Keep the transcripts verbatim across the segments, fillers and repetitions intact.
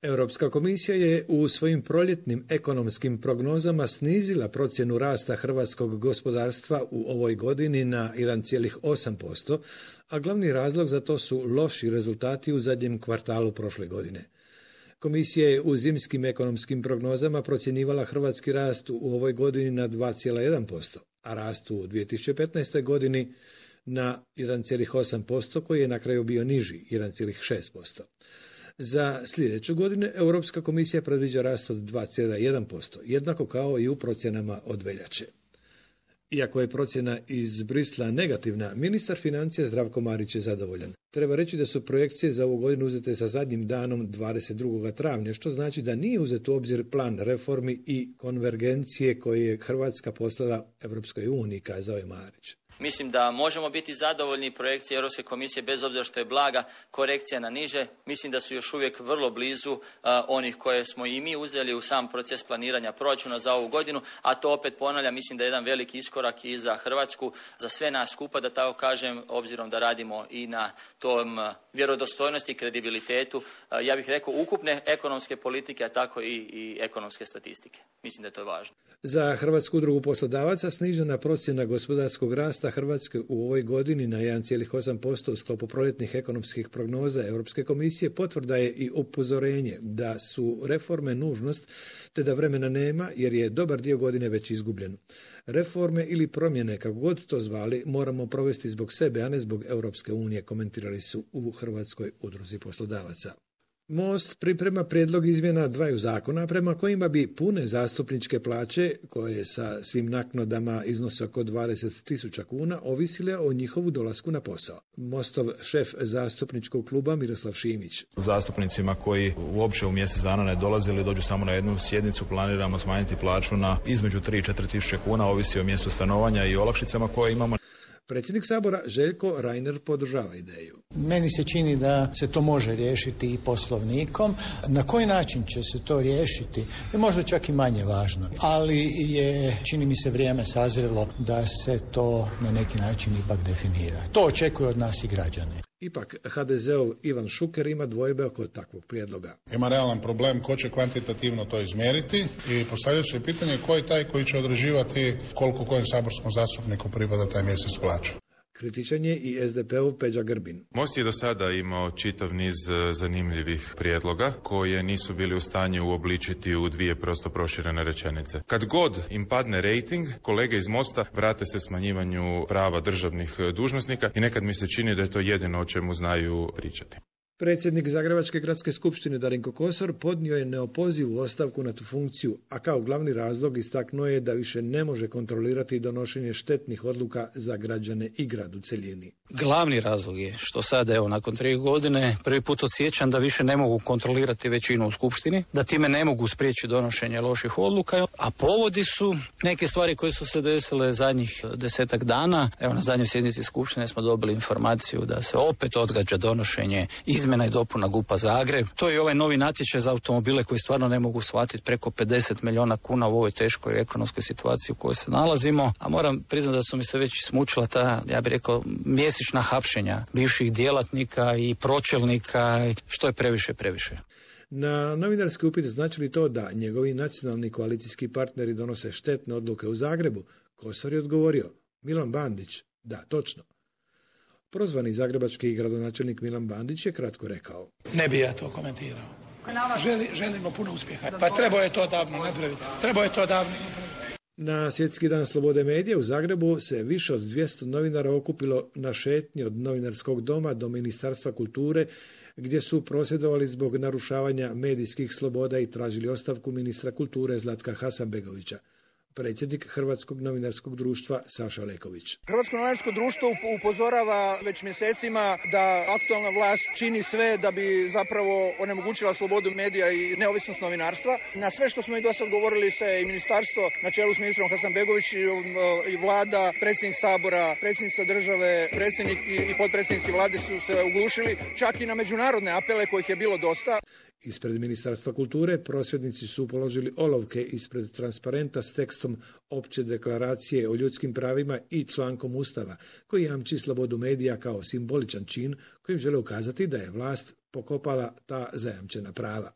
Europska komisija je u svojim proljetnim ekonomskim prognozama snizila procjenu rasta hrvatskog gospodarstva u ovoj godini na jedan zarez osam posto, a glavni razlog za to su loši rezultati u zadnjem kvartalu prošle godine. Komisija je u zimskim ekonomskim prognozama procjenjivala hrvatski rast u ovoj godini na dva zarez jedan posto, a rast u dvije tisuće petnaestoj. godini na jedan zarez osam posto koji je na kraju bio niži, jedan zarez šest posto. Za sljedeću godinu Europska komisija predviđa rast od dva zarez jedan posto, jednako kao i u procjenama od veljače. Iako je procjena iz Brisla negativna, ministar financija Zdravko Marić je zadovoljan. Treba reći da su projekcije za ovu godinu uzete sa zadnjim danom dvadeset drugog travnja, što znači da nije uzet u obzir plan reformi i konvergencije koje je Hrvatska poslala Europskoj uniji, kazao je Marić. Mislim da možemo biti zadovoljni projekcije Europske komisije bez obzira što je blaga korekcija na niže. Mislim da su još uvijek vrlo blizu uh, onih koje smo i mi uzeli u sam proces planiranja proračuna za ovu godinu, a to opet ponavljam, mislim da je jedan veliki iskorak i za Hrvatsku, za sve nas skupa, da tako kažem, obzirom da radimo i na tom uh, vjerodostojnosti i kredibilitetu, uh, ja bih rekao, ukupne ekonomske politike, a tako i, i ekonomske statistike. Mislim da je to važno. Za Hrvatsku udrugu poslodavaca snižena procjena gospodarskog rasta Hrvatske u ovoj godini na jedan zarez osam posto u sklopu proljetnih ekonomskih prognoza Europske komisije potvrda je i upozorenje da su reforme nužnost te da vremena nema jer je dobar dio godine već izgubljen. Reforme ili promjene, kako god to zvali, moramo provesti zbog sebe, a ne zbog Europske unije, komentirali su u Hrvatskoj udruzi poslodavaca. Most priprema prijedlog izmjena dvaju zakona prema kojima bi pune zastupničke plaće, koje sa svim naknadama iznose oko dvadeset tisuća kuna, ovisile o njihovu dolasku na posao. Mostov šef zastupničkog kluba Miroslav Šimić. Zastupnicima koji uopće u mjesec dana ne dolaze ili dođu samo na jednu sjednicu planiramo smanjiti plaću na između tri i četiri tisuće kuna, ovisi o mjestu stanovanja i olakšicama koje imamo. Predsjednik Sabora Željko Reiner podržava ideju. Meni se čini da se to može riješiti i poslovnikom. Na koji način će se to riješiti je možda čak i manje važno, ali je, čini mi se, vrijeme sazrelo da se to na neki način ipak definira. To očekuju od nas i građani. Ipak ha de zeov Ivan Šuker ima dvojbe oko takvog prijedloga. Ima realan problem ko će kvantitativno to izmjeriti i postavlja se pitanje ko je taj koji će određivati koliko kojem saborskom zastupniku pripada taj mjesec plaću. Kritičan je i es de pe-ov Peđa Grbin. Most je do sada imao čitav niz zanimljivih prijedloga koje nisu bili u stanju uobličiti u dvije prosto proširene rečenice. Kad god im padne rejting, kolege iz Mosta vrate se smanjivanju prava državnih dužnosnika i nekad mi se čini da je to jedino o čemu znaju pričati. Predsjednik Zagrebačke gradske skupštine Darinko Kosor podnio je neopozivu ostavku na tu funkciju, a kao glavni razlog istaknuo je da više ne može kontrolirati donošenje štetnih odluka za građane i grad u cjelini. Glavni razlog je što sad, evo, nakon tri godine prvi put osjećam da više ne mogu kontrolirati većinu u skupštini, da time ne mogu spriječiti donošenje loših odluka, a povodi su neke stvari koje su se desile zadnjih desetak dana. Evo, na zadnjoj sjednici skupštine smo dobili informaciju da se opet odgađa donošenje izmjena i dopuna G U P-a Zagreb. To je ovaj novi natječaj za automobile koji stvarno ne mogu shvatiti, preko pedeset milijuna kuna u ovoj teškoj ekonomskoj situaciji u kojoj se nalazimo. A moram priznati da su mi se već smučila ta, ja bih rekao, mjesečna hapšenja bivših djelatnika i pročelnika, što je previše previše. Na novinarski upit znači li to da njegovi nacionalni koalicijski partneri donose štetne odluke u Zagrebu, Kosor je odgovorio: Milan Bandić, da, točno. Prozvani zagrebački gradonačelnik Milan Bandić je kratko rekao: Ne bi ja to komentirao. Želi, želimo puno uspjeha. Pa trebao je to davno napraviti. Trebao je to davno napraviti. Na Svjetski dan slobode medija u Zagrebu se više od dvjesto novinara okupilo na šetnji od Novinarskog doma do Ministarstva kulture, gdje su prosvjedovali zbog narušavanja medijskih sloboda i tražili ostavku ministra kulture Zlatka Hasanbegovića. Predsjednik Hrvatskog novinarskog društva Saša Leković. Hrvatsko novinarsko društvo upozorava već mjesecima da aktualna vlast čini sve da bi zapravo onemogućila slobodu medija i neovisnost novinarstva. Na sve što smo i do sad govorili se i ministarstvo na čelu s ministrom Hasanbegović i vlada, predsjednik Sabora, predsjednica države, predsjednik i potpredsjednici vlade su se uglušili, čak i na međunarodne apele kojih je bilo dosta. Ispred Ministarstva kulture prosvjednici su položili olovke ispred transparenta s tekstom opće deklaracije o ljudskim pravima i člankom Ustava koji jamči slobodu medija kao simboličan čin kojim žele ukazati da je vlast pokopala ta zajamčena prava.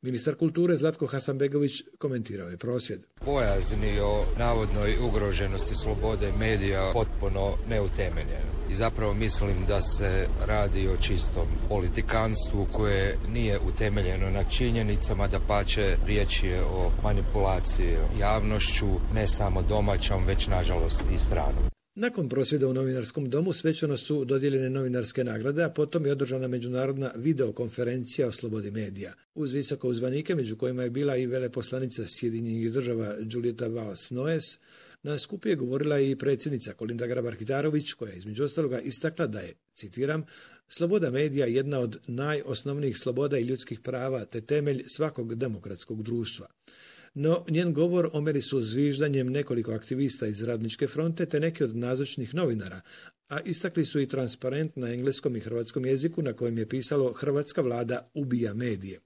Ministar kulture Zlatko Hasanbegović komentirao je prosvjed. Bojazni o navodnoj ugroženosti slobode medija potpuno neutemeljeno. I zapravo mislim da se radi o čistom politikanstvu koje nije utemeljeno na činjenicama, da pače riječ je o manipulaciji javnošću, ne samo domaćom, već nažalost i stranom. Nakon prosvjeda u Novinarskom domu svečano su dodijeljene novinarske nagrade, a potom je održana međunarodna videokonferencija o slobodi medija. Uz visoko uzvanike, među kojima je bila i veleposlanica Sjedinjenih država Julieta Valls-Noes, na skupu je govorila i predsjednica Kolinda Grabar-Kitarović, koja je između ostaloga istakla da je, citiram, sloboda medija jedna od najosnovnijih sloboda i ljudskih prava te temelj svakog demokratskog društva. No, njen govor omeri su zviždanjem nekoliko aktivista iz Radničke fronte te neki od nazočnih novinara, a istakli su i transparent na engleskom i hrvatskom jeziku na kojem je pisalo "Hrvatska vlada ubija medije".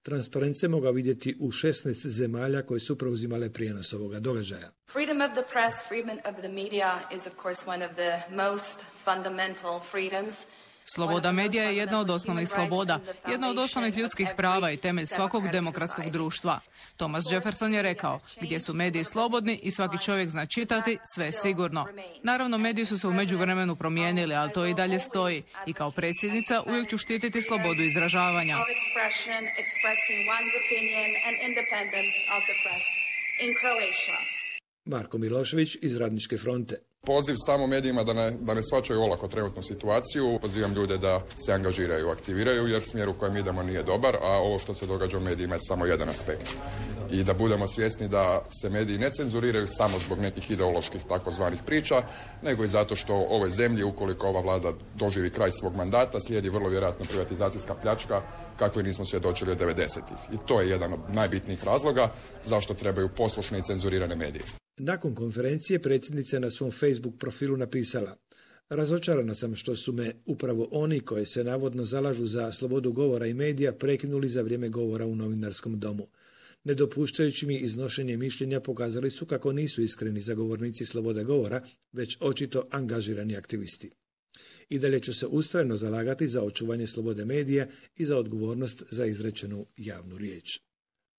Transparent se mogao vidjeti u šesnaest zemalja koje su preuzimale prijenos ovoga događaja. Freedom of the press, freedom of the media is of course one of the most fundamental freedoms. Sloboda medija je jedna od osnovnih sloboda, jedna od osnovnih ljudskih prava i temelj svakog demokratskog društva. Thomas Jefferson je rekao, gdje su mediji slobodni i svaki čovjek zna čitati, sve je sigurno. Naravno, mediji su se u međuvremenu promijenili, ali to i dalje stoji. I kao predsjednica uvijek ću štititi slobodu izražavanja. Marko Milošević iz Radničke fronte. Poziv samo medijima da ne, da ne shvaćaju olako trenutnu situaciju. Pozivam ljude da se angažiraju, aktiviraju, jer smjer u kojem idemo nije dobar, a ovo što se događa u medijima je samo jedan aspekt. I da budemo svjesni da se mediji ne cenzuriraju samo zbog nekih ideoloških takozvanih priča, nego i zato što ovoj zemlji, ukoliko ova vlada doživi kraj svog mandata, slijedi vrlo vjerojatno privatizacijska pljačka kakve nismo svjedočili od devedesetih. I to je jedan od najbitnijih razloga zašto trebaju poslušne i cenzurirane medije. Nakon konferencije predsjednica je na svom Facebook profilu napisala: "Razočarana sam što su me upravo oni koji se navodno zalažu za slobodu govora i medija prekinuli za vrijeme govora u Novinarskom domu. Ne dopuštajući mi iznošenje mišljenja pokazali su kako nisu iskreni zagovornici slobode govora, već očito angažirani aktivisti. I dalje ću se ustrajno zalagati za očuvanje slobode medija i za odgovornost za izrečenu javnu riječ."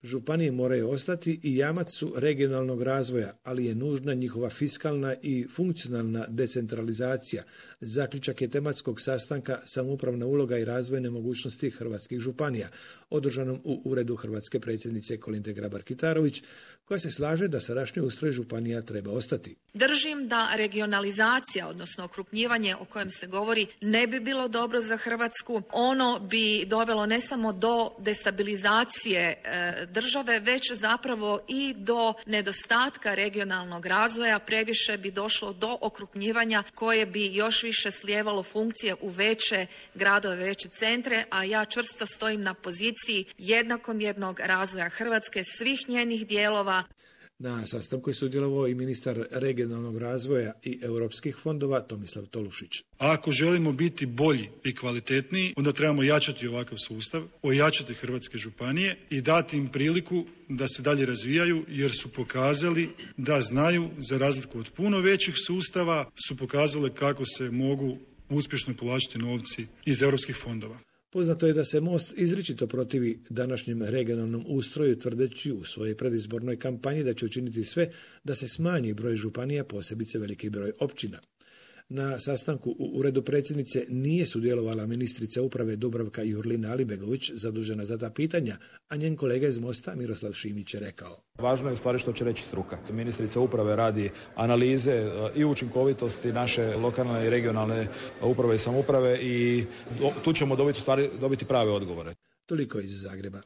Županije moraju ostati i jamac su regionalnog razvoja, ali je nužna njihova fiskalna i funkcionalna decentralizacija. Zaključak je tematskog sastanka Samoupravna uloga i razvojne mogućnosti hrvatskih županija, održanom u uredu hrvatske predsjednice Kolinde Grabar-Kitarović, koja se slaže da sadašnji ustroj županija treba ostati. Držim da regionalizacija, odnosno okrupnjivanje o kojem se govori, ne bi bilo dobro za Hrvatsku. Ono bi dovelo ne samo do destabilizacije e, države, već zapravo i do nedostatka regionalnog razvoja. Previše bi došlo do okrupnjivanja koje bi još više slijevalo funkcije u veće gradove, veće centre, a ja čvrsto stojim na poziciji jednakomjernog razvoja Hrvatske, svih njenih dijelova. Na sastanku je sudjelovao i ministar regionalnog razvoja i europskih fondova Tomislav Tolušić. A ako želimo biti bolji i kvalitetniji, onda trebamo jačati ovakav sustav, ojačati hrvatske županije i dati im priliku da se dalje razvijaju, jer su pokazali da znaju, za razliku od puno većih sustava, su pokazali kako se mogu uspješno povlačiti novci iz europskih fondova. Poznato je da se Most izričito protivi današnjem regionalnom ustroju, tvrdeći u svojoj predizbornoj kampanji da će učiniti sve da se smanji broj županija, posebice veliki broj općina. Na sastanku u uredu predsjednice nije sudjelovala ministrica uprave Dubravka Jurlina Alibegović, zadužena za ta pitanja, a njen kolega iz Mosta Miroslav Šimić je rekao: "Važno je stvari što će reći struka. Ministrica uprave radi analize i učinkovitosti naše lokalne i regionalne uprave i samouprave i tu ćemo dobiti, stvari, dobiti prave odgovore." Toliko iz Zagreba.